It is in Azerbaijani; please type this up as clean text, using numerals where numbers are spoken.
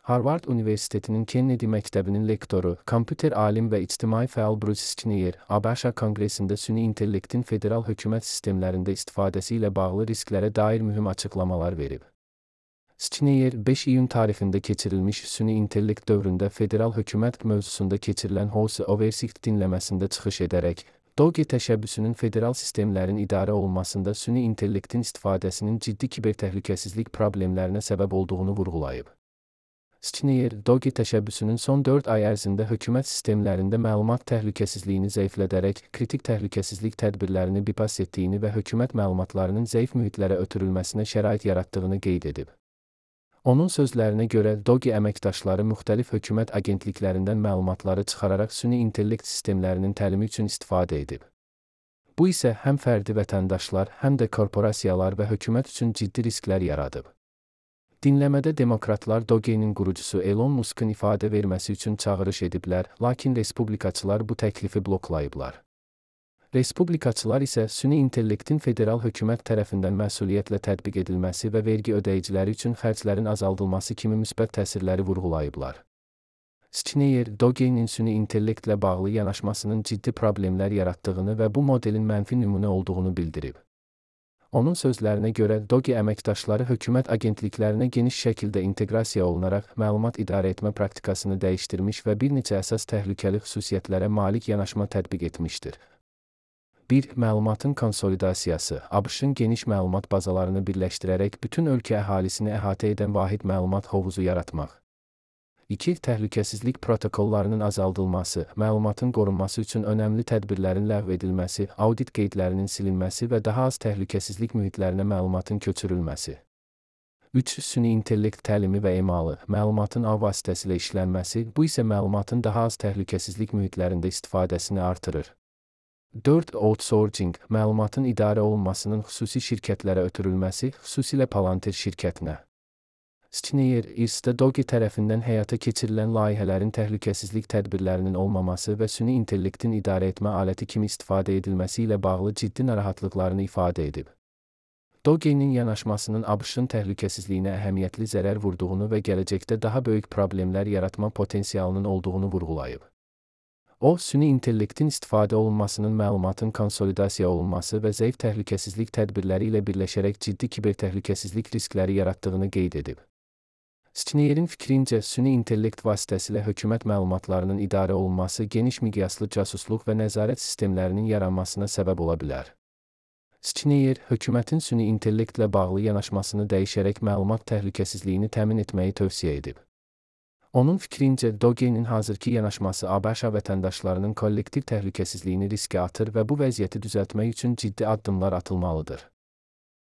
Harvard Universitetinin Kennedy Məktəbinin lektoru, kompüter alim və ictimai fəal Bruce Schneier, ABŞ Konqresində süni intellektin federal hökumət sistemlərində istifadəsi ilə bağlı risklərə dair mühüm açıqlamalar verib. Schneier, 5 iyun tarixində keçirilmiş süni intellekt dövründə federal hökumət mövzusunda keçirilən House Oversight dinləməsində çıxış edərək, DOGE təşəbbüsünün federal sistemlərin idarə olunmasında süni intellektin istifadəsinin ciddi kibertəhlükəsizlik problemlərinə səbəb olduğunu vurğulayıb. Schneier, DOGE təşəbbüsünün son 4 ay ərzində hökumət sistemlərində məlumat təhlükəsizliyini zəiflədərək, kritik təhlükəsizlik tədbirlərini bypass etdiyini və hökumət məlumatlarının zəif mühitlərə ötürülməsinə şərait yaratdığını qeyd edib. Onun sözlərinə görə, DOGE əməkdaşları müxtəlif hökumət agentliklərindən məlumatları çıxararaq süni intellekt sistemlərinin təlimi üçün istifadə edib. Bu isə həm fərdi vətəndaşlar, həm də korporasiyalar və hökumət üçün ciddi risklər yaradıb. Dinləmədə demokratlar DOGE-nin qurucusu Elon Musk'ın ifadə verməsi üçün çağırış ediblər, lakin respublikaçılar bu təklifi bloklayıblar. Respublikaçılar isə süni intellektin federal hökumət tərəfindən məsuliyyətlə tətbiq edilməsi və vergi ödəyiciləri üçün xərclərin azaldılması kimi müsbət təsirləri vurğulayıblar. Schneier, DOGE-nin süni intellektlə bağlı yanaşmasının ciddi problemlər yaratdığını və bu modelin mənfi nümunə olduğunu bildirib. Onun sözlərinə görə, DOGE əməkdaşları hökumət agentliklərinə geniş şəkildə inteqrasiya olunaraq məlumat idarə etmə praktikasını dəyişdirmiş və bir neçə əsas təhlükəli xüsusiyyətlərə malik yanaşma tətbiq etmişdir. 1. Məlumatın konsolidasiyası, ABŞ-ın geniş məlumat bazalarını birləşdirərək bütün ölkə əhalisini əhatə edən vahid məlumat hovuzu yaratmaq. 2. Təhlükəsizlik protokollarının azaldılması, məlumatın qorunması üçün önəmli tədbirlərin ləğv edilməsi, audit qeydlərinin silinməsi və daha az təhlükəsizlik mühitlərinə məlumatın köçürülməsi. 3. Süni intellekt təlimi və emalı, məlumatın ağ vasitəsilə işlənməsi, bu isə məlumatın daha az təhlükəsizlik mühitlərində istifadəsini artırır. 4. Outsourcing, məlumatın idarə olunmasının xüsusi şirkətlərə ötürülməsi, xüsusilə Palantir şirkətinə. Schneier, IRS-də DOGE tərəfindən həyata keçirilən layihələrin təhlükəsizlik tədbirlərinin olmaması və süni intellektin idarə etmə aləti kimi istifadə edilməsi ilə bağlı ciddi narahatlıqlarını ifadə edib. DOGE-nin yanaşmasının ABŞ-ın təhlükəsizliyinə əhəmiyyətli zərər vurduğunu və gələcəkdə daha böyük problemlər yaratma potensialının olduğunu vurğulayıb. O, süni intellektin istifadə olunmasının məlumatın konsolidasiya olunması və zəif təhlükəsizlik tədbirləri ilə birləşərək ciddi kibertəhlükəsizlik riskləri yaratdığını qeyd edib. Schneirin fikrincə, süni intellekt vasitəsilə hökumət məlumatlarının idarə olunması geniş miqyaslı casusluq və nəzarət sistemlərinin yaranmasına səbəb ola bilər. Schneier, hökumətin süni intellektlə bağlı yanaşmasını dəyişərək məlumat təhlükəsizliyini təmin etməyi tövsiyə edib. Onun fikrincə, DOGE-nin hazırki yanaşması ABŞ vətəndaşlarının kollektiv təhlükəsizliyini riskə atır və bu vəziyyəti düzəltmək üçün ciddi addımlar atılmalıdır.